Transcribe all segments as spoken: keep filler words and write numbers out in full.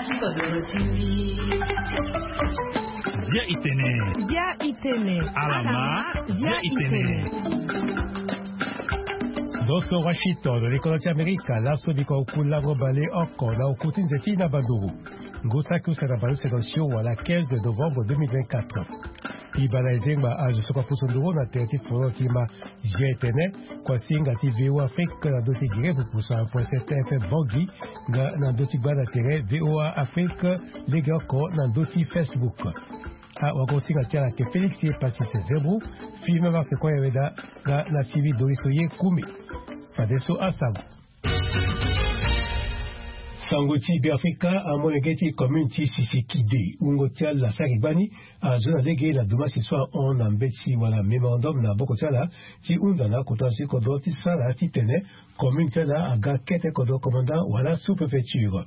Bia itene. Bia itene. Alama. Bia itene. Boso Washington, likolo ti Amerika, laso biko oku lango bale oko na oku ti nze ti na banduru. Ngu saki use na bale use na sio wala quinze de novembre deux mille vingt-quatre. Iba na ezengba azo so kua pusu nduru na tere ti foro ti ma. Zia etene, kua singa ti V O A Afrique na ndö ti gere pupusa point sept F M Bangui, nga na ndö ti gba na tere V O A Afrique, lege oko na ndö ti Facebook. Awagosinga ti ala ayeke Félix Pacis Zebro, Filimon Marc Koyaweda, nga na Sylvie Doriso Yekumi. Fadeso asango. Sango ti Beafrika, amolenge ti commune ti Sisikidi, wungo ti ala saki gbani, azo na lege na dumasi so ahon na mbeti wala mémorandum na maboko ti ala, ti hunda na akota zo ti kodro ti sara titene commune ti ala aga kete kodro commandant wala sous-préfecture.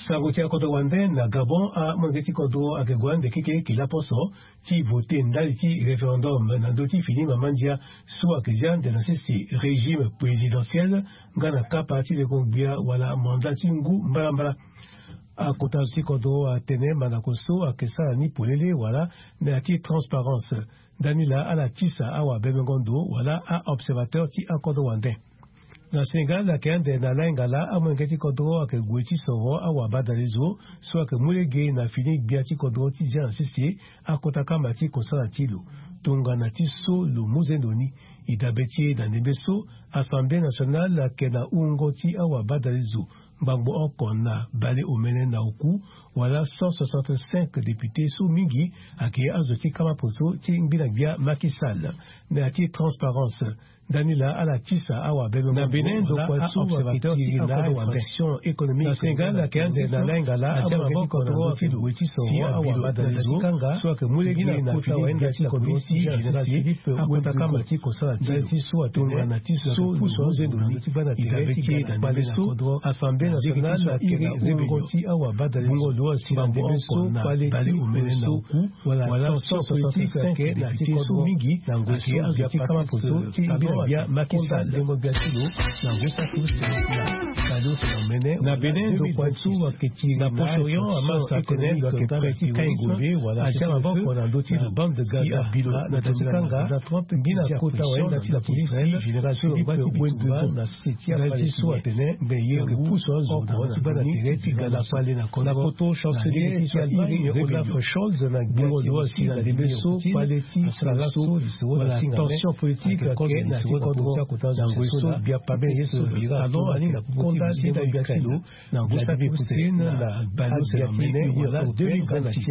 Sango ti akodro wande na Gabon, amolenge ti kodro ayeke gue ande keke ki laposo ti vote ndali ti référendum na ndö ti fini mama ndia so ayeke zia ande na sese régime présidentiel, nga na kapa ti leko gbia wala mandat ti ngu mbalambala. Akota zo ti kodro atene mandako so ayeke sara ni polele wala na ya ti transparence. Ndani laa ala tisa awabemengo ndo wala a-observateur ti akodro wande. Na Sénégal ayeke ande na lainga laa amolenge ti kodro ayeke gue ti soro awabadale zo so ayeke mu lege na fini gbia ti kodro ti zia na sese akota kama ti kosala ti lo. Tongana ti so lo mu zendo ni, e dabe ti e na ndembe so Assemblée nationale ayeke na wungo ti awabadale zo ngbangbo oko na bale omene na oku, wala cent soixante-cinq députés so mingi ayeke azo ti kama poso ti ngbina gbia Macky Sall. Na ya ti transparence, ndani laa ala tisa awabemengo na Bénin, ndokua so ayeke tiri na infraction économique na Sénégal ayeke ande na lainga laa amolenge ti kodro ayeke gue ti soro awabadale zo so ayeke mu lege na kota wayenda ti la police général Philippe Wendrigo. Akota kama ti kosala ti lo tongana ti so lo pusu nzendo ni, e dabe ti e na ndembe so Assemblée nationale ayeke na wungo ti awabadale zo ngbangbo oko na bale omene na oku, wala tension politique ayeke na ti kodro mingi na ngoi so bia kama poso ti ngbia gbia Macky Sall. Ndengo gbia ti lo na ngu saki use na bale use na omene. Na Bénin, ndokua so ayeke tiri na Proche-Orient, Hamas atene lo ayeke prêt ti kai ngombe wala atia maboko na ndö ti lo. Bande de Gaza, na ndö ti kanga ngbina kota wayenda ti la police général Philippe Wendrigo na sese ti apale so atene mbe ye ngu pusu azo na ndö ti bana tere ti ga na pale na kodro. Na poto, chancelier ti Allemagne Olaf Scholz na gbia ti Russie Vladimir Poutine asara laso lisoro na singa me tension politique ayeke na ti kodro na ngoi so bia pame ye so bira atongani na popo ti Russie na Ukraine. Na ngu saki use na bale use na omene wala deux mille vingt-six.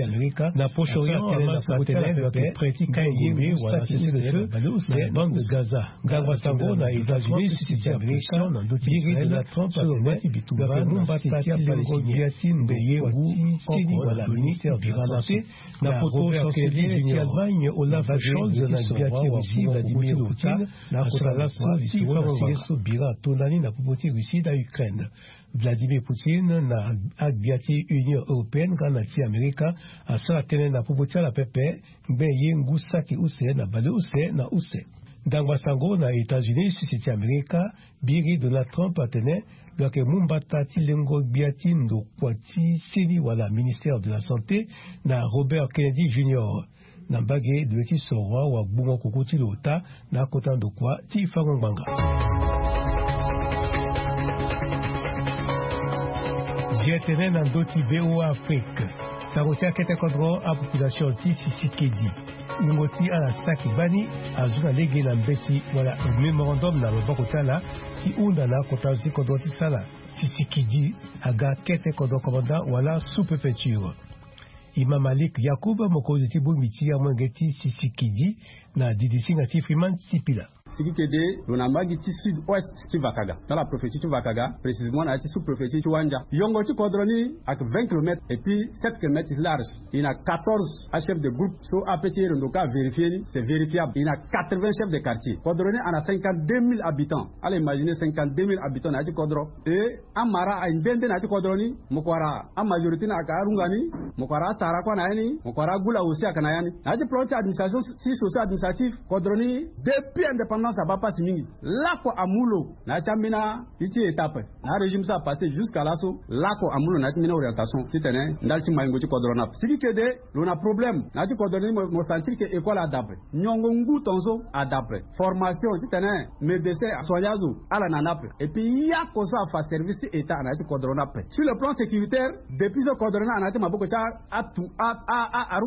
Na Proche-Orient, Hamas atene lo yeke prêt ti kai ngombe wala cessez-le-feu na bande de Gaza. Ngbangba sango na États-Unis, sisi ti Amerika, na ndö ti Israël, Donald Trump atene lo yeke mu mbata ti lengo gbia ti ndo kua ti seni wala ministère de la santé. Na poto, chancelier ti Allemagne Olaf Scholz na gbia ti Russie Vladimir Poutine asara laso lisoro na sese so bira atondani na popo ti Russie na Ukraine. Vladimir Poutine na agbia ti Union européenne nga na ti Amerika asara tënë na popo ti ala pepe, ngbe ye ngu saki use na bale use na use. Ndangba sango na États-Unis, sisi ti Amerika, biri Donald Trump atene lo yeke mu mbata ti lengo gbia ti ndokua ti seni wala ministère de la santé na Robert Kennedy Junior. Na mbage lo ye ti soro awagbungo koko ti lo ota na akota ndokua ti fango ngbanga. Zia tene na ndö ti V O A Afrique, sango ti akete kodro apopulation ti Sisikedi, wungo ti ala saki gbani, azo na lege na mbeti wala mémorandum na maboko ti ala ti hunda na akota zo ti kodro ti sala. Sisikedi aga kete kodro commandant wala sous-préfecture. Imam Malik Yacoub, mokonzi ti bongbi ti amolenge ti Sisikedi, na didisinga ti Freeman Sipila. Sikikede lo na mbage ti sud-ouest ti Vakaga, dans la préfecture ti Vakaga, précisément na ya ti sous-préfecture ti Wandia. Yongo ti kodro ni ayeke vingt kilomètres et puis sept kilomètres large. E na quatorze achefs de groupe so ape ti e lo ndo ka avérifier ni, c'est vérifiable. E na quatre-vingts chefs de quartier. Kodro ni ana cinquante-deux mille habitants. Ala imaginer cinquante-deux mille habitants na ya ti kodro. E amara aye nde nde na ya ti kodro ni. Mo ko wara amajorité ni ayeke arunga ni. Mo ko wara asara kue na ya ni. Mo ko wara agula aussi ayeke na ya ni. Na ya ti plan ti administration ti socio administratif, kodro ni depuis indépendance Alternance abaa pasi mingi. Lako amu lo na ya ti ambeni ti ti étape na arégime so apassé jusqu'à laso. Lako amu lo na ya ti mbeni orientation titene ndali ti maingo ti kodro ni ape. Siki kede lo na problème na ya ti kodro ni, mo sentir ke école ada ape, nyongo ngu tonso ada ape, formation titene médecin asoigner azo ala na ni ape. Et puis yako so afa service ti état na ya ti kodro ni ape. Sur le plan sécuritaire, depuis so kodro ni ana ya ti maboko ti atu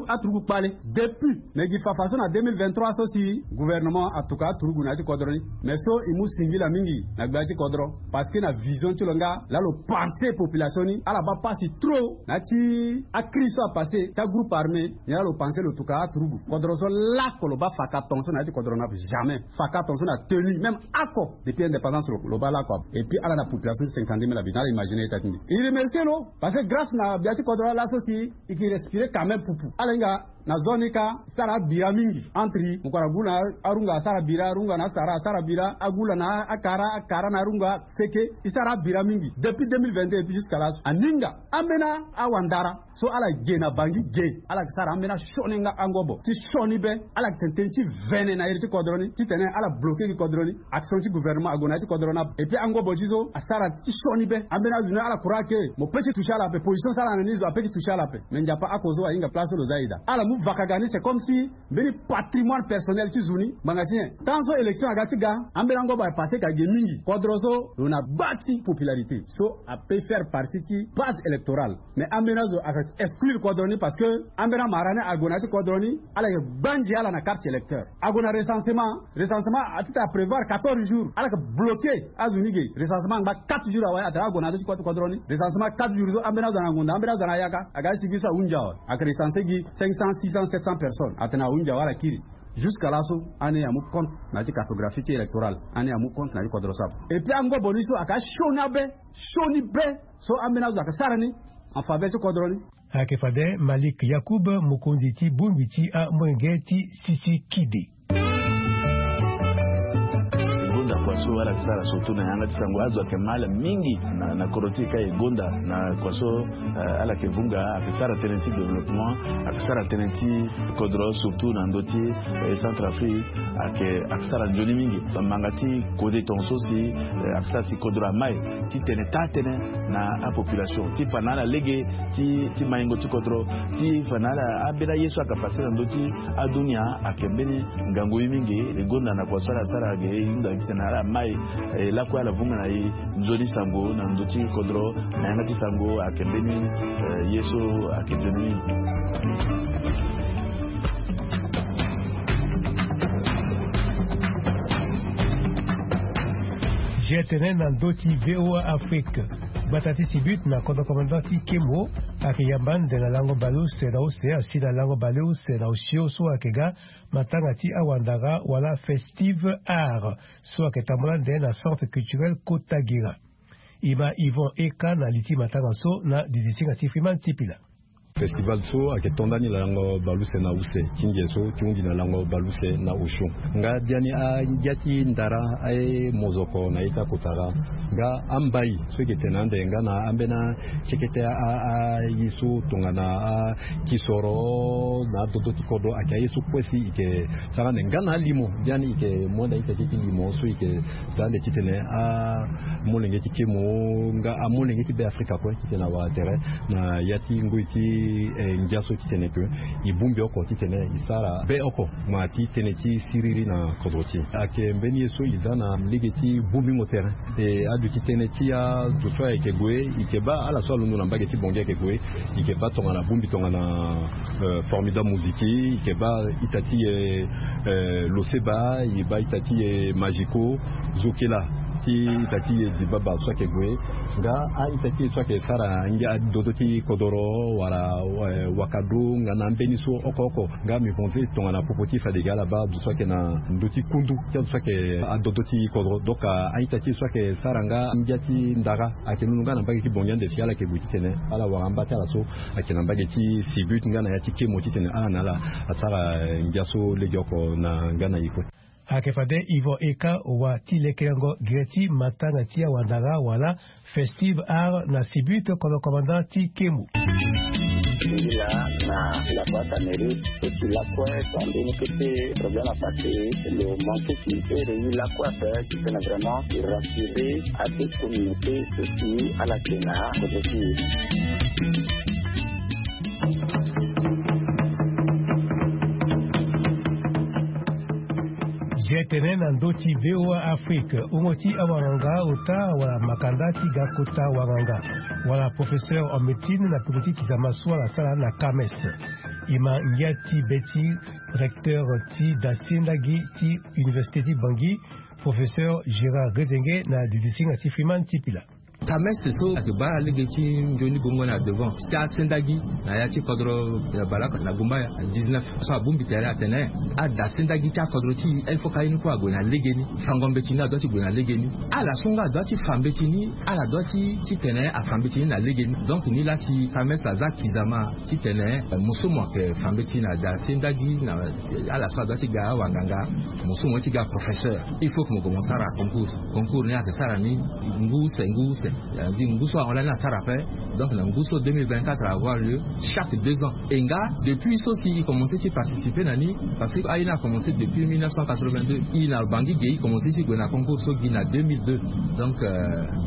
aturugu kpale. Depuis me gi fafa so na deux mille vingt-trois so si gouvernement atuka aturugu na ya ti kodro ni. Mais so e mu singila mingi na gbia ti kodro, parce que na vision ti lo nga laa lo pensé population ni ala baa pasi trop na ya ti akrise so apassé ti agroupe armé. Ni laa lo pensé lo tuka aturugu kodro so lako lo baa faka tonso na ya ti kodro ni ape. Jamais faka tonso na tenue même ako depuis indépendance lo baa lako ape. Et puis ala na population ti cinquante-deux mille habitants, ala imaginer ita ti mbi. E remercier lo parce que grâce na gbia ti kodro ni laso si e ke respirer quand même pupu. Ala hinga na zone ni ka sara abira mingi entre mokoro agu na arunga asara bira, arunga na asara asara bira, agula na akara, akara na arunga seke. E sara abira mingi depuis deux mille vingt-deux et puis jusqu'à laso aninga ambeni awandara so ala ge na bangi ge. Ala ke sara ambeni asioni nga angobo ti sioni be. Ala ke tene tënë ti vene na iri ti kodro ni titene ala bloquer gi kodro ni. Action ti gouvernement ague na ya ti kodro ni ape. Et puis angobo ti so asara ti sioni be. Ambeni azo ni ala croire ke mo pe ti toucher ala ape, position so ala na ni zo ape ti toucher ala ape. Mais nzapa ako so ahinga place so lo za ida. Ala mu vakaga ni c'est comme si mbeni patrimoine personnel ti zo ni ngbanga ti nyen. Tant so élection aga ti ga, ambeni angobo apassé ka ge mingi. Kodro so lo na baa ti popularité so ape faire partie ti base électorale. Mais ambeni azo aka exclure kodro ni parce que ambeni amara ni ague na ya ti kodro ni ala yeke gbanzi ala na carte électeur. Ague na recensement, recensement atita aprévoir quatorze jours, ala yeke bloquer azo ni ge. Recensement angba quatre jours awe atene ague na ya ti kodro ni. Recensement quatre jours so ambeni azo ana ngonda, ambeni azo ana yaka. Aga ti sigi so ahunzi awe, ake recenser gi cinq cents, six cents, sept cents personnes, atene ahunzi awe ala kiri. Jusqu'à laso ani amu compte na ya ti cartographie ti électorale, ani amu compte na ya ti kodro so ape. Et puis angobo ni so aka sioni abe, sioni be. So ambeni azo aka sara ni en faveur ti kodro ni. Ayeke fade Malik Yacoub, mokonzi ti bongbi ti amolenge ti Sisikidi. Gonda kua so ala yeke sara surtout na yanga ti sango, azo ayeke mal mingi na, na kodro ti e ka e gonda na kua so, eh, ala yeke vunga, ayeke sara tënë ti développement, ayeke sara tënë ti kodro surtout na ndö ti, eh, Centrafrique, ayeke, ayeke sara nzoni mingi. Manga ti kode tongaso si, eh, ayeke sara si kodro amai titene taa tënë na apopulation ti fa na ala lege ti, ti maingo ti kodro, ti fa na ala ambeni aye so aka passé na ndö ti adunia. Ayeke mbeni ngangu ye mingi. E gonda na kua so ala sara ge e hunda titene ala mai, eh, lakue ala vunga na e nzoni sango na ndö ti kodro na yanga ti sango ayeke mbeni, eh, ye so ayeke nzoni mingi. Zia tene na ndö ti V O A Afrique. Gbata ti Sibut na kodro commandant ti Kemo ayeke yamba ande na lango baleuse na use, asi na lango baleuse na osio so ayeke ga matanga ti awandara wala festive art so ayeke tambula ande na centre culturel Kotagira. E ma Yvon Eka na li ti matanga so na didisinga ti Freeman Tipila. Festival so ayeke to ndani na lango baleuse na use, ti nze so ti hunzi na lango baleuse na osio. Nga biani angia ti ndara aye mozoko na ita kotara. Nga ambai so e yeke tene ande nga na ambeni akekete a, a, aye so tongana akisoro na adodo ti kodro ayeke aye so kue si e yeke sara ande nga na alimo. Biani e yeke mu ande a-ita ti limo so e yeke daa ande titene amolenge ti Kemo nga amolenge ti Be Afrika kue titene awara tere na ya ti ngoi ti, eh, ngia so titene ke e bongbi oko titene e sara be oko ma ti tënë ti siriri na kodro ti e. Ayeke mbeni ye so e daa na lege ti bongbingo tere. E aduti tënë ti azo so ayeke gue, e yeke baa ala so alondo na mbage ti Bangui ayeke gue, e yeke baa tongana bongbi tongana, eh, Formidable Moziki, e yeke baa ita ti e, eh, Loseba, e baa ita ti e Magico, Zokela, ti ita ti e Dibaba so ayeke gue. Nga a-ita ti e so ayeke sara ngia dodo ti kodoro wala, eh, wakado nga na ambeni so oko oko. Nga mi pense tongana popo ti fade ge ala baa azo so ayeke na ndö ti kundu ti azo so ayeke adodo ti kodro. Donc a-ita ti e so ayeke sara nga ngia ti ndara ayeke londo nga na mbage ti Bangui ande si ala yeke gue titene ala wara amba ti ala so ayeke na mbage ti Sibut nga na ya ti Kemo titene ala na ala asara, eh, ngia so legeoko na nga na e kue. Ayeke fade Yvon Eka wa ti lekerengo gere ti matanga ti awandara wala Festive Art na Sibut, kodro commandant ti Kemu. Ila na la boîte à mérite et puis la kue tande ni kete problème à passer le manque qui est réuni la kue ape qui fait vraiment rassurer à cette communauté aussi à la Kena côté qui Zia tene na ndö ti V O A Afrique, wungo ti awanganga ota wala makanda ti ga kota wanganga wala professeur en médecine na peko ti kizama so ala sara na Kames. E ma ngia ti be ti recteur ti dasendagi ti université ti Bangui, professeur Gérard Rezenge na didisinga ti Freeman ti Pila. Kames so ayeke baa lege ti nzoni gongo na devant ti asendagi na ya ti kodro ya baleoko na Gumbaya dix-neuf so abongbi tere atene adasendagi ti akodro ti e il faut ka ye ni kue ague na legeni. Fango mbeti ni adua ti gue na legeni. Ala so nga adua ti fa mbeti ni, ala dua ti titene afa mbeti ni na legeni. Donc ni laa si Kames aza kizama titene mo so mo yeke fa mbeti na dasendagi na ala so adua ti ga awanganga, mo so mo ye ti ga professeur, il faut que mo gue mo sara concours. Concours ni ayeke sara ni ngu use ngu use. Ngu so ahon lani asara ape. Donc na ngu so deux mille vingt-quatre avoir lieu chaque deux ans. E nga depuis so si e commencé ti participer na ni, parce que aye ni akommence depuis mille neuf cent quatre-vingt-deux. E na Bangui ge e commence ti gue na concours so gi na deux mille deux. Donc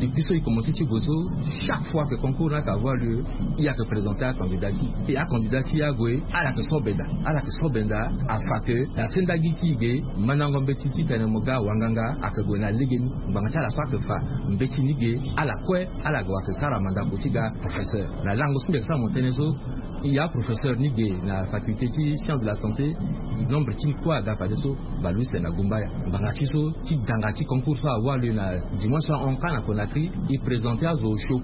depuis so e commence ti gue so, chaque fois que concours ni ayeke avoir lieu, e ayeke présenter acandidat ti e. E acandidat ti e ague, ala yeke so benda, ala yeke so benda afa ke na sendagi ti e ge mandango mbeti titene mo ga wanganga ayeke gue na legeni. Ngbanga ti ala so ayeke fa mbeti ni ge, ala kue ala gue ayeke sara mandako ti ga professeur. Na lango so mbi yeke sara mo tënë so, e ya professeur ni ge na faculté ti science de la santé. Nombre ti ni kue aga fadeso bale use na Gumbaya. Ngbanga ti so ti danga ti concours so awali na dimanche so ahon kâ na Conakry, e présenter azo osio.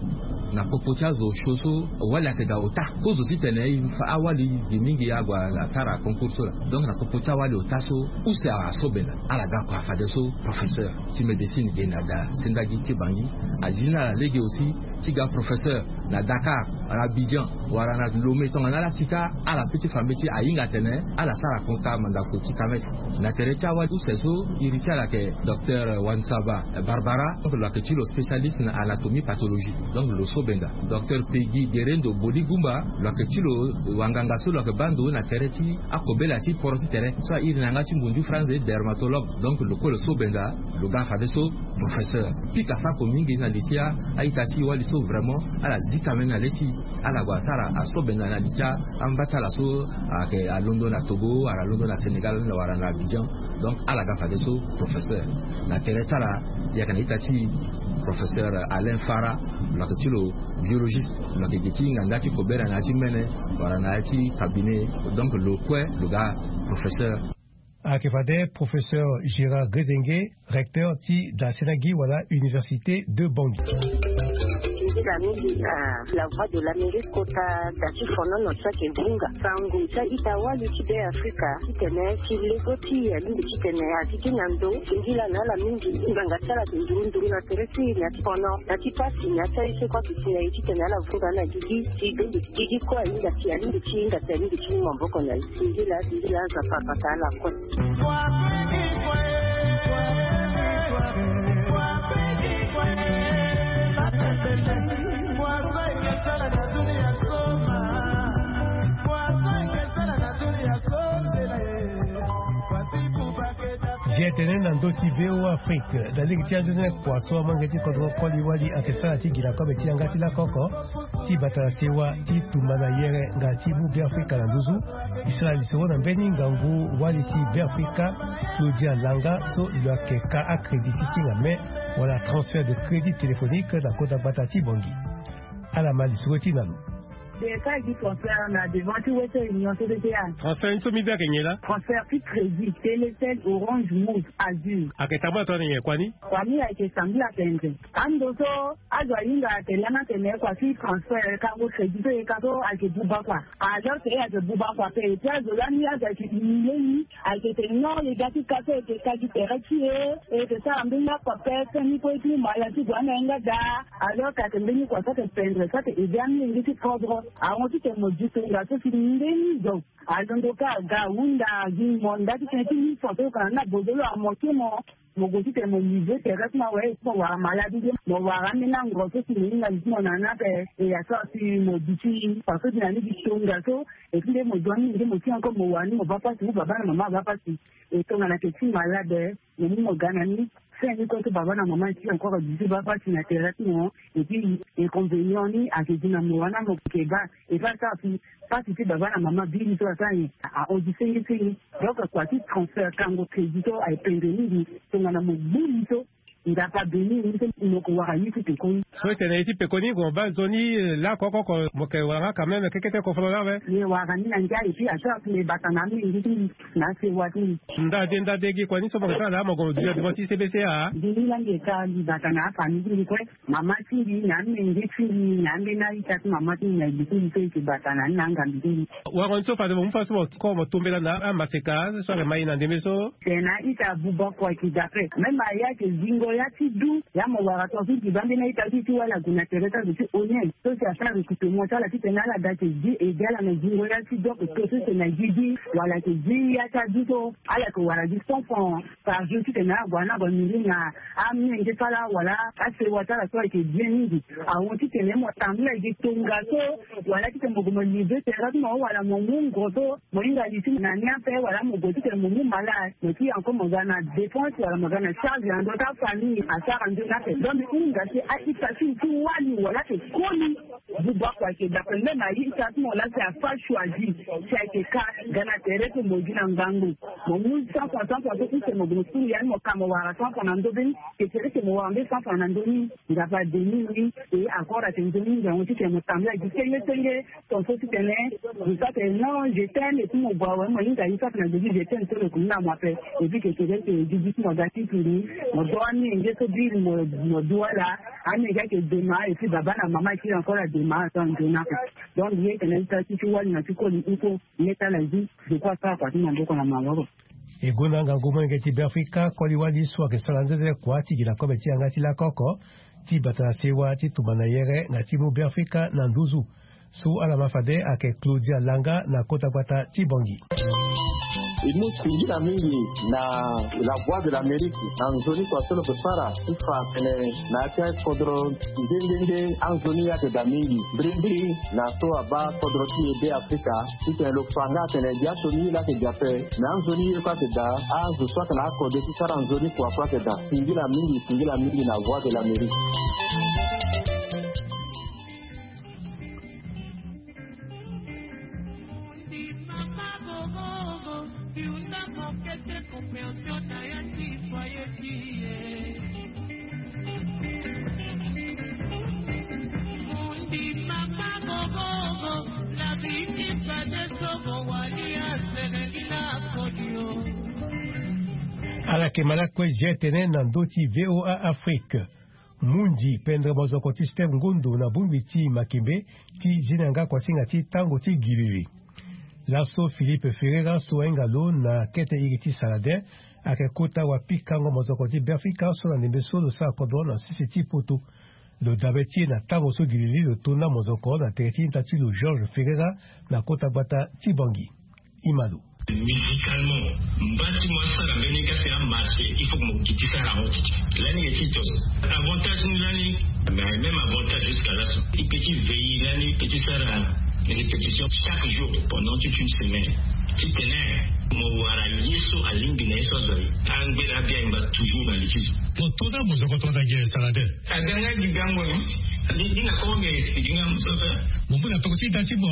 Na popo ti azo osio so wali ayeke daa ota kozo titene e fa awali ge mingi ague asara concours so laa. Donc na popo ti awali ota so, use aso benda, ala ga kua fadeso professeur ti médecine ge na dasendagi ti Bangui. Azi ni ala lege aussi ti ga professeur na Dakar, na Abidjan, wala na Lomé, tongana ala si kâ, ala peut ti fa mbeti ahinga atene ala sara kota mandako ti Kames. Na tere ti awali use so, iri ti ala ayeke docteur Wansaba Barbara, donc lo ayeke ti lo spécialiste na anatomie pathologie. Donc lo so benda. Docteur Peggy Gerendo Boligumba, lo ayeke ti lo wanganga so lo ayeke baa ndo na tere ti akobela ti poro ti tere so airi na yanga ti ngundu franze dermatologue. Donc lo kue lo so benda, lo ga fadeso professeur. Pika sako mingi na li ti a-ita ti e wali so vraiment ala zi kamene na le ti e. Ala gue asara aso benda na li ti amba ti ala so ayeke alondo na Togo wala alondo na Sénégal wala na Abidjan. Donc ala ga fadeso professeur. Na tere ti ala, e yeke na ita ti e professeur Alain Fara, lo yeke ti lo biologiste, lo yeke gi ti hinga nda ti kobela na ya ti mene wala na ya ti cabinet. Donc lo kue lo ga professeur. Ayeke fade professeur Gérard Grezenge, recteur ti dasendagi wala université de Bangui. Nzila mingi na La Voix de l'Amérique kota da ti fonono so ayeke vunga sango ti a-ita wali ti Beafrika titene ti lego ti e alingbi titene a gigi na ndo. Singila na ala mingi ngbanga ti ala ayeke nduru nduru na tere ti e na ya ti fono, na ya ti pasi, na ya ti aye so kue ayeke si na e titene ala vunga na gigi ti dondo ti gigi kue ahinga si alingbi ti hinga si alingbi ti mu maboko na e. Singila, singila, Nzapa abata ala kue. Zia tene na ndö ti V O A Afrique, na lege ti anzoni kua so amolenge ti kodro koli wali ayeke sara ti gi na kobe ti yanga ti lakoko ti bata na sewa ti tumba na yere nga ti mu Beafrika na nduzu. E sara lisoro na mbeni ngangu wali ti Beafrika, Claudia Langa, so lo yeke ka acrédit ti singa me wala transfert de crédit téléphonique na kota gbata ti Bangui. Ala ma lisoro ti na lo. Transfert ni so mbi be ayeke nyen laa? Transfert ti crédit Telecel, Orange, Moov, Azur. Ayeke tambula tongana nyen kua ni? Kua ni ayeke sambela tendre. Ando so azo ahinga atene lani atene kua ti transfert, kango crédit so e ka so ayeke buba kua. Alors que e ayeke buba kua ape, et puis azo lani azo ayeke humilier ni, ayeke tene non, e ga ti ka so e yeke ka gi tere ti e, e yeke sara mbeni akua ape, fin ni kue e ti mu mala ti gue na yanga daa. Alors que ayeke mbeni kua so ayeke pendre, so ayeke aider amolenge ti kodro. Ahon titene mo di tongaso si ndeni zo alondo kâ aga ahunda agi mo nda titene ti mi fa so kana ni na bozolo amoke mo. Mo gue titene mo livre tere ti mo awe ti mo wara malade nde mo wara ambeni ango so si mo hinga li ti mo na ni ape. E asara si mo duti fa so si na ni gi tongaso. E ti nde mo zo ni nde mo ti encore mo wara ni mo baa pasi ou baba na mama abaa pasi. E tongana ayeke ti malade mo mu mo ga na ni. Fin ni kue so baba na mama ti encore duti baa pasi na tere ti mo. Et puis inconvénient ni ayeke gi na mo wana mo yeke baa. E fa asara si pasi ti baba na mama biri so asara nyen? Ahon gi senge senge. Donc kua ti transfert kango crédit so aye pendre mingi. Tongana mo gbu li so Nzapa abeni ni so mo yeke wara ye ti pekoni. So etene ye ti pekoni mo baa nzoni lakoko oko mo yeke wara nga quand même kekete kofolo laa awe. Ye wara ni na ndia et puis asara si me bata na amenge ti mbi na asewa ti mbi. Ndade ndade gi kua ni so mo yeke sara laa mo gue mo duti na devant ti C B C A. Gi ni laa mbi yeke sara mbi bata na afamille ti mbi kue. Mama ti mbi na amenge ti mbi na ambeni a-ita ti mama ti mbi na li ti mbi so e yeke bata na ni na angambi ti mbi. Wango ni so fade mo mu fa so mo koro mo tombela na amaseka so ayeke ma e na ndembe so. Tene a-ita abuba kua ayeke daa ape. Même aye ayeke zingo ya ti du ya mo wara tongaso ti ba ambeni a-ita ti ti wala ague na tere ti azo ti onien so si asara recrutement ti ala titene ala ga ayeke zi ede ala na zingo ya ti du oko to so si na gigi wala ayeke zi ya ti adu so ala yeke wara gi cent francs par jour titene ala gue na gue miri na amenge ti ala wala asewa ti ala so ayeke bien mingi. Ahon titene mo tambula gi tongaso wala titene mo gue mo livre tere ti mo wala mo mu ngo so mo hinga li ti mo na ni ape wala mo gue titene mo mu malade mo ti encore mo ga na dépense wala mo ga na charge na ndö ti afamille asara nzoni ape. Donc mbi hinga si a-ita ti mo ti wali wala ayeke koli. Buba kua ayeke daa ape même a-ita ti mo laa si afa choisi si ayeke ka ga na tere ti mo gi na ngangu. Mo mu cent francs cent francs so use mo gue mo sulu ya ni mo ka mo wara cent francs na ndö be ni. Ke tere ke mo wara nde cent francs na ndö ni. Nzapa abeni ni. E encore ayeke nzoni ngangu titene mo tambula gi senge senge. Ton so titene mo sara tene non je t'aime et puis mo gue awe mo hinga ye sara tene ague gi je t'aime so lo yeke mu na mo ape. Et puis keke reste gigi ti mo aga ti tiri mo do amenge so biri mo mo du ala. Amenge ayeke dema et puis baba na mama ayeke encore adema ato anzoni ape. Donc ye tene ti sara ti ti wali na ti koli iko ye ti ala zi. Je crois sara kua ti maboko na maboko. E gonda ngangu molenge ti Beafrika koli wali so ayeke sara nzenzele kua ti gi na kobe ti yanga ti lakoko ti bata na sewa ti tumba na yere nga ti mu Beafrika na nduzu. So ala ma fade ayeke Claudia Langa na kota gbata ti Bangui. E mu singila mingi na La Voix de l'Amérique na nzoni kua so lo yeke sara ti fa atene na ya ti akodro nde nde nde anzoni ayeke daa mingi. Mbirimbiri na so abaa kodro ti e Beafrika titene lo fa nga atene dia so ni laa ayeke daa ape. Na anzoni ye kue ayeke daa azo so ayeke na akode ti sara nzoni kua kue ayeke daa. Singila mingi singila mingi na Voix de l'Amérique. Ala yeke ma lakue zia tene na ndö ti VOA Afrique. Mundi pendre mozoko ti Steve Ngundu na bongbi ti Makembe ti zi na yanga kuasinga ti tango ti gilili. Laso Philippe Ferreira so ahinga lo na kete iri ti Saladin ayeke kota wapikango mozoko ti Beafrika so na ndembe so lo sara kodro na sese ti poto. Lo dabe ti e na tango so gilili lo tonda mozoko na tere ti ita ti lo Georges Ferreira na kota gbata ti Bangui. Imalo. Musicalement, mba ti mo asara mbeni kasi amarché, il faut que mo gi ti sara yango ti ti lani ye ti tos. Avantage ni lani mais même avantage jusqu'à laso i pe ti veille lani i pe ti sara répétition chaque jour pendant toute une semaine. Titene mo wara ye so alingbi na ye so azo aye. Angbe na abi angba toujours na litige. Mo tona mozoko tona ge Saladin. Aga nga gi gango ni. Ni na ko nge expliquer nga mo so fe. Mo mona toko ti da ti mo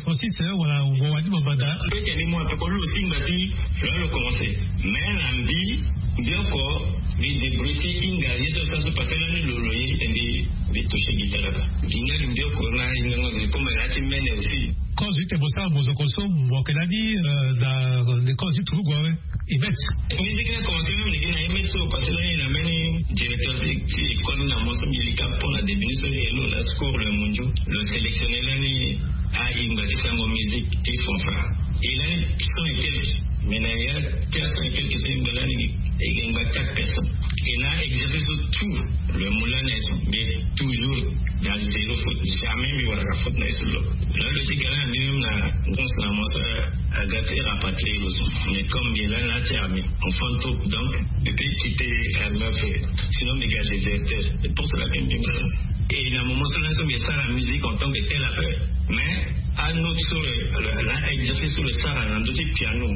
Francis wala mo wani mo banda. Pe ke ni mo pe ko lo si ngba ti lo lo commencer. Mais na mbi mbi oko mbi débrouiller ti hinga ye so sa so passer lani lo lo ye ti tende mbi toucher guitare ba. Mbi nga mbi oko na hinga ngo mbi comme la ti mene aussi. Cause ti tene mo sara mozoko so mo yeke lani na ni cause ti turugu awe. Emet. Musique ni a commencé même leke na Emet so parce que lani na mbeni directeur ti école ni na mo so mbi lika mpo na début ni so ye lo la score le mondio lo sélectionner lani a ingba ti sango musique ti fanfare. Et lani cent et quelques Mais na ya, tias na quelque chose mbi lani, e gba quatre personnes. Et na exercice tout le moulin na son, mais toujours dans zéro faute, jamais mbi wara faute na son lo. Là le ti gala ni même na pense na moi ça a gâté rapatrier le son. Mais comme bien là là tu as mis on fantôme, donc depuis quitter un peu, sinon mbi ga déserteur. C'est pour cela que mbi et na moment so na so mbi sara musique en tant que tel après. Mais un autre sur le, le, la exercice sur le sara na ndoti piano.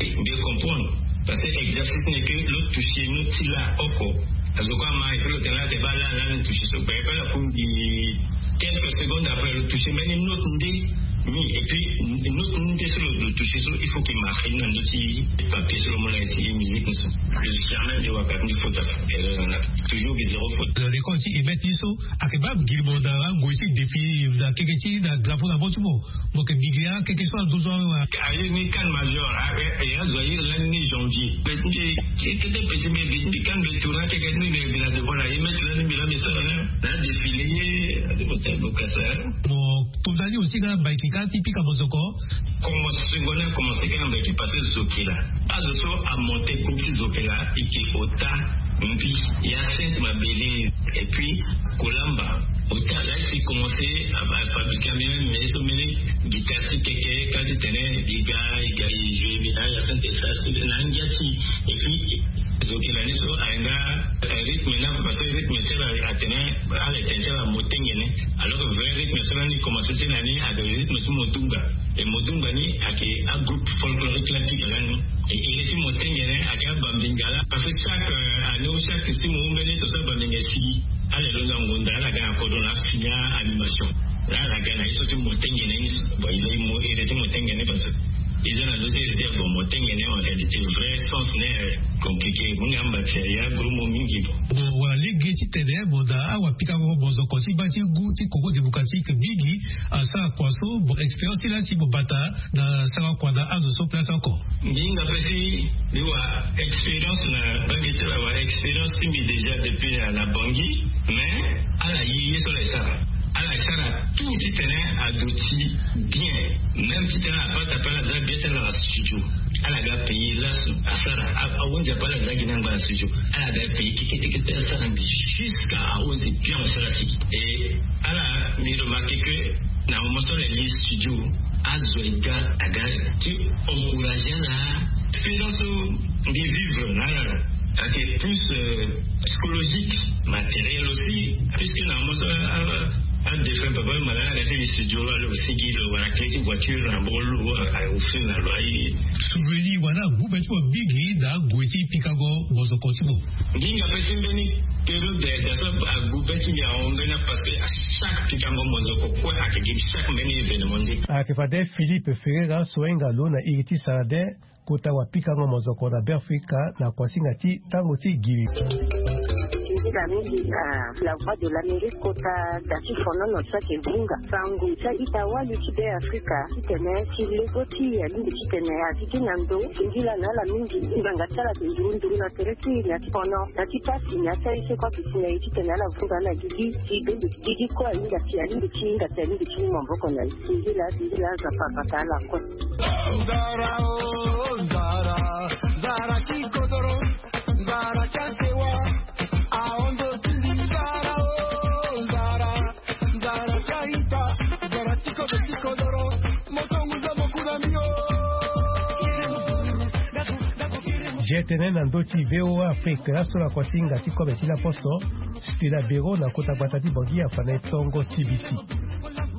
Mbi comprendre. Parce que exercice n'est que le toucher nous ti la oko. Azo kua ma e pe lo tene la te ba la la ni toucher so ba e pe la pour mbi quelques secondes après le toucher mais une autre nde ni et puis une autre nde sur le toucher so il faut qu'il marche na ndoti papier sur le mola ici musique so. Jamais de waka ni faut ta erreur na toujours des zéro faute. Dans les comptes, ils mettent iso. Ake ba giri mo na ngoi ti défi na keke ti na drapeau na mo ti mo. Mo ke bigi a keke so aduzu awe wa. Aye ni kan major awe e azo aye lani ni janvier. Petit petit petit kan be tourna keke ni be bila de voilà e met lani bila be sara na défilé ye. Ade mo ta bokasa. Mo tondani aussi ka baiki ka ti pika mozoko. Commencé secondaire commencé ka na baiki parce que zokela azo so amonte groupe ti zokela eke ota mbi ya sainte mabele. Et puis kolamba ota la si commencé à fabriquer même mais so mene guitare ti keke ka ti tene biga iga i joue bi na ya sainte sa si na ngia ti. Et puis zokela ni so ayenga rythme na parce que rythme ti ala atene ala etene ti ala motengene. Alors que vrai rythme so lani commencé ti na ni avec rythme ti modunga. Et modunga ni ake a groupe folklorique la ti gala ni. Et iri ti motengene ake abambinga la parce que chaque année ou chaque si mo umbeni to so abambinga si ala elonga ngonda ala ga na kodro na fini animation. La ala ga na ye so ti motengene ni. Bon il est mo iri ti motengene parce que ils ont la dose iri ti bon motengene en réalité vrai sens ne compliqué. Moni amba ti ya gros mo mingi bon. Bon wala lege ti tene mo na awa pikango mozoko ti ba ti gu ti Congo démocratique mingi. Asara kua so bon expérience ti la ti mo bata na sara kua na azo so place oko. Nginga pe si mbi wa expérience na bangi ti la wa expérience ti mbi déjà depuis na bangi. Mais ala ye ye so la esara ala esara tout ti tene aduti bien. Même ti tene abata pe ala za bien ti ala na studio ala ga paye laso asara. Awonzi ape ala za gi na ngba na studio ala ga paye kekete kete asara mbi jusqu'à awonzi bien asara si. Et ala mbi remarqué que na moment so la li studio azo ega aga ti encourager na expérience so mbi vivre na ala. Ake plus psychologique, matériel aussi puisque na moment so a défunt papa mala na ga ti li studio lo ale aussi gi lo wala clé ti voiture na bo lo a offrir na lo aye. Souvenir wala gube ti mo mingi na gue ti pikango mozoko ti mo. Nginga pe si mbeni période da so agu be ti mbi ahon mbeni parce que chaque pikango mozoko kue ake gi chaque mbeni événement nde. Ake fade Philippe Ferreira so ahinga lo na iri ti sarade kota wapikango mozoko na Beafrika na kuasinga ti tango ti giri. Singila mingi na La Voix de l'Amérique kota da ti fonono so ayeke vunga sango ti a-ita wali ti Beafrika titene ti lego ti e alingbi titene azi gi na ndo. Singila na ala mingi ngbanga ti ala ayeke nduru nduru na tere ti e na ti fono na ti pasi na ya ti aye so kue ayeke si na e titene ala vunga ala gigi ti bembe gigi kue ahinga si alingbi ti hinga si alingbi ti mu maboko na e. Singila singila Nzapa abata ala kue. Nzara o nzara, nzara ti kodoro, nzara ti asewa, ahondo ti ndi nzara o nzara, nzara ti aita, nzara ti kodo ti kodoro, moto nguza mokuna mio. G T N na ndö ti V O A Afrique laso na kuasinga ti kobe ti laposo. Stella Bero na kota gbata ti Bangi afa na e tongo C B C.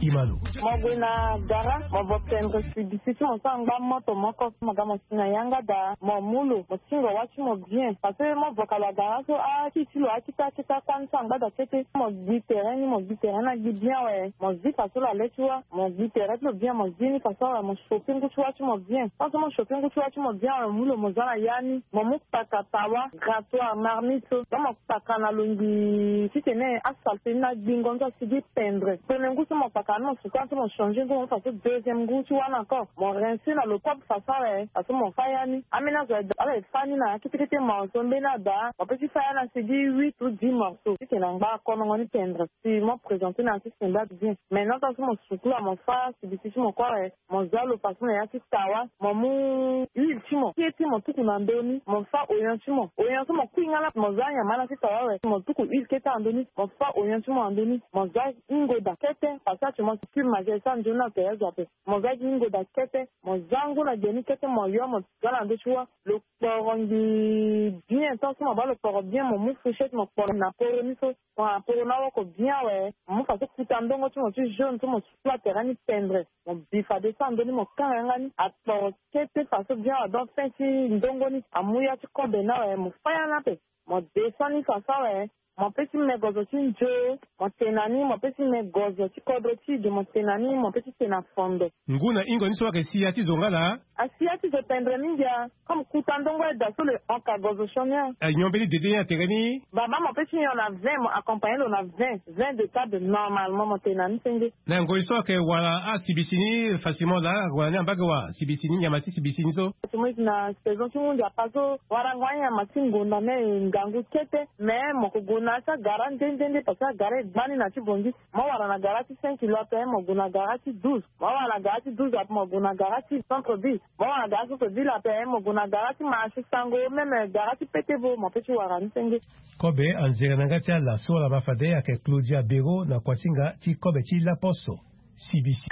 Imalo. Mo gue na gara mo vo tendre C B C ti mo so angba moto moko mo ga mo si na yanga daa mo mu lo mo tingo wâ ti mo bien parce que mo vo ka lo agara so akiti lo akita akita kuâ ni so angba daa kete mo gbi tere ni mo gbi tere ni agbi bien awe mo zi fa so lo ale ti wâ mo gbi tere ti lo bien mo zi ni fa so awe mo shope ngu ti wâ ti mo bien. Fa so mo shope ngu ti wâ ti mo bien awe mo mu lo mo za na yâ ni mo mu kpaka tawa grattoir marmite so donc mo kpaka na lo ngi titene asalte ni na gbingo ni so asigi pendre premier ngu so mo kpaka. Tani mo suka so mo changer ngu mo fa so deuxième ngu ti wani encore mo rincer na l'eau propre façon awe. Façon mo fa ya ni ameni azo awe fa ni na ya kete kete mo so mbeni ada mo pe ti fa ya na sigi huit ou dix morceaux ti tene angba konongo ni tendre. Si mo présenter na ya ti semba bien. Maintenant tant so mo sukula mo fa sibisi ti mo kue awe. Mo za lo façon na ya ti tawa mo mu huile ti mo kete mo tuku na ndö ni mo fa oignon ti mo oignon so mo kui nga la mo za nyama na ti tawa awe mo tuku huile kete na ndö ni mo fa oignon ti mo na ndö ni mo za hingo daa kete parce que ati mo si cube magel so anzoni na toya zo ape. Mo za gi hingo daa kete mo za ngu na ge ni kete mo yo mo za na ndö ti wâ. Lo kporo ngi bien tant so mo baa lo kporo bien mo mu fourchette mo kporo na poro ni so. Mo na poro na woko bien awe. Mo mu façon kuta ndongo ti mo ti jaune so mo sukula tere ni tendre. Mo bi fade so na ndö ni mo kanga yanga ni akporo kete façon bien awe donc fin ti ndongo ni amu ya ti kobe ni awe mo fa ya ni ape. Mo descend ni façon awe. Mo pe ti me gozo ti nzo. Mo tene na ni mo pe ti me gozo ti kodro ti ge mo tene na ni mo pe ti tene na fondo. Ngu na hingo ni so ayeke si ya ti zo nga laa? Asi ya ti zo tendre mingi a. Comme kuta ndongo aye daa so le honka gozo sioni a. Aye nyon mbeni dede ni atere ni? Baba mo pe ti nyon na vin mo accompagner lo na vin. Vin de table normalement mo tene na ni senge. Na ngoi so ayeke wara asibisi ni facilement laa wara ni ambage wa sibisi ni nyama ti sibisi ni so. Ti mo iti na saison ti mundia pa so warango anyama ti ngonda ni aye ngangu kete. Mais mo ko gue na ya ti agara nde nde nde parce que agara e gba ni na ti bongi. Mo wara na gara ti cinq kilo ape mo gue na gara ti douze. Mo wara na gara ti douze ape mo gue na gara ti centre ville. Mo wara na gara ti centre ville ape mo gue na gara ti marché sango même gara ti pete bo mo pe ti wara ni senge. Kobe anzere na nga ti ala so ala ma fade ayeke claudia bero na kuasinga ti kobe ti laposo. Sibisi.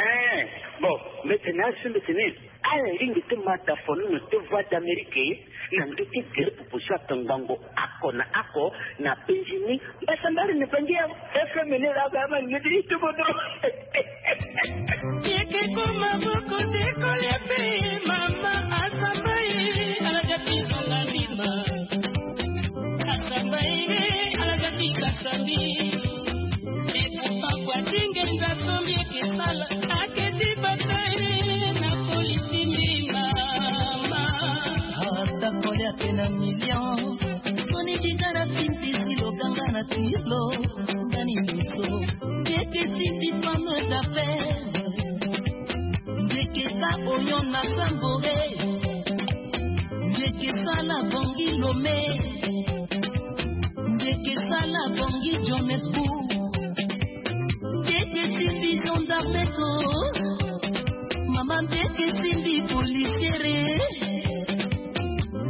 Bon, mete na asimbe tene ala ringi ti mata fono na te voix d'amérique na ndö ti gere popo so atongbongo ako na ako na penzi ni. Mbasambari na bangi ya fmn la ba ma ngeti itubo do. Yeke ko maboko te kolia pe mama asamba ye. Ala ja ti zonga ndima. Asamba ye ala ja ti kasambi. Epapa kwa tinge nza sombi eke sala. Ake ti bata ye na polisi ndima. Ata kolia pe na million. Soni bika na timpisi lo kanga na tilo. Ngani miso. Yeke sindi pano d'affaire. Ndeke sa oyon na sambore. Ndeke sala bongi lome. Ndeke sala bongi johannesburg. Ndeke simbi gendarme to. Mama ndeke simbi policiere.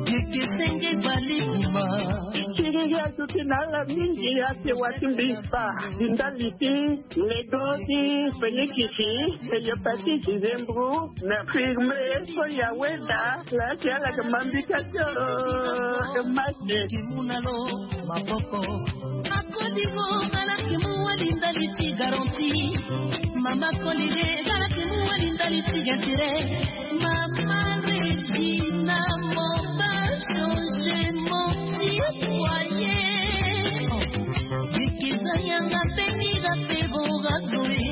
Ndeke senge bali kuma. Kiriri azuti na ala mingi ate wati mbi fa. Ndali ti Nego ti fenikisi. Eyo pati dizembru na firme so yaweda. Laki ala ke mambika tio. Mate. Kimuna lo maboko. Akodigo ala kimu wali ndali ti garanti. Mama kolile ala kimu wali ndali ti gentire. Mama Regina moba change mon ti foyer. Bikisa yanga pe mira pe boga zoe.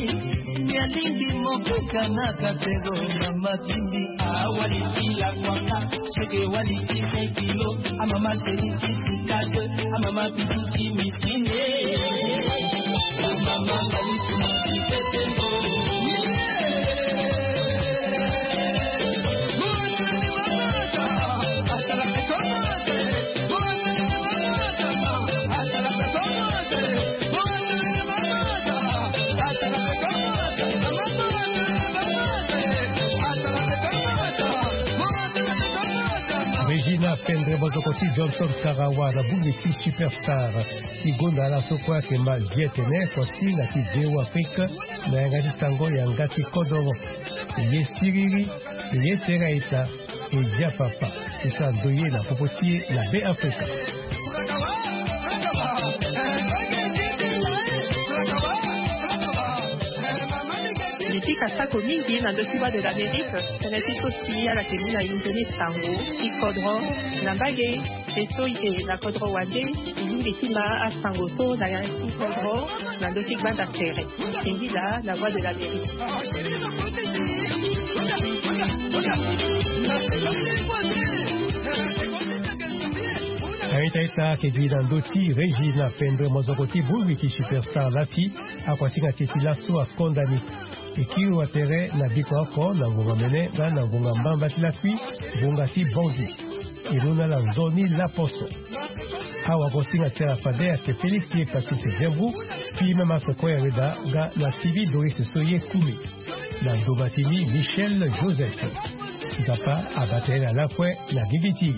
Mialingi mokuka na katego na matindi awali ti la kwanga. Seke wali ti un kilo. Amama seri ti sikate. Amama bitu ti misine. Amama mali ti mati petengo. Regina pendre mozoko ti johnson karawa na bungi ti superstar. Ti gonda ala so kue ayeke ma zi etene kuasi na ti veo afrique. Na yanga ti sango yanga ti kodoro. Ye siriri. Ye sera eta. E dia papa. Ti sa ndo ye na popo ti ye na be afrika. Ni ti kasako mingi na ndö ti voix de l'amérique. Tënë ti so si ala yeke mu na inzoni sango ti kodro na mbage. Te so e yeke na kodro wande. E yingi ti ma asango so na ya ti kodro na ndö ti gbanda tere. Singila na voix de l'amérique. Aita ita ake gi na ndö ti régine apendre mozoko ti bongbi ti superstar lati. Akuasinga ti e ti laso akonda ni. E kiri wa tere na biko oko na ngonga mene nga na ngonga mbamba ti lakui, ngonga ti bongi. E mu na ala nzoni laposo. Awagosinga ti ala fade ayeke Félix ye Patrice Zembu, fili mama soko ya weda nga na Sylvie Doris so ye Kumi. Na ndoma ti ni Michel Joseph. Nzapa abata ye na lakue na gigi ti.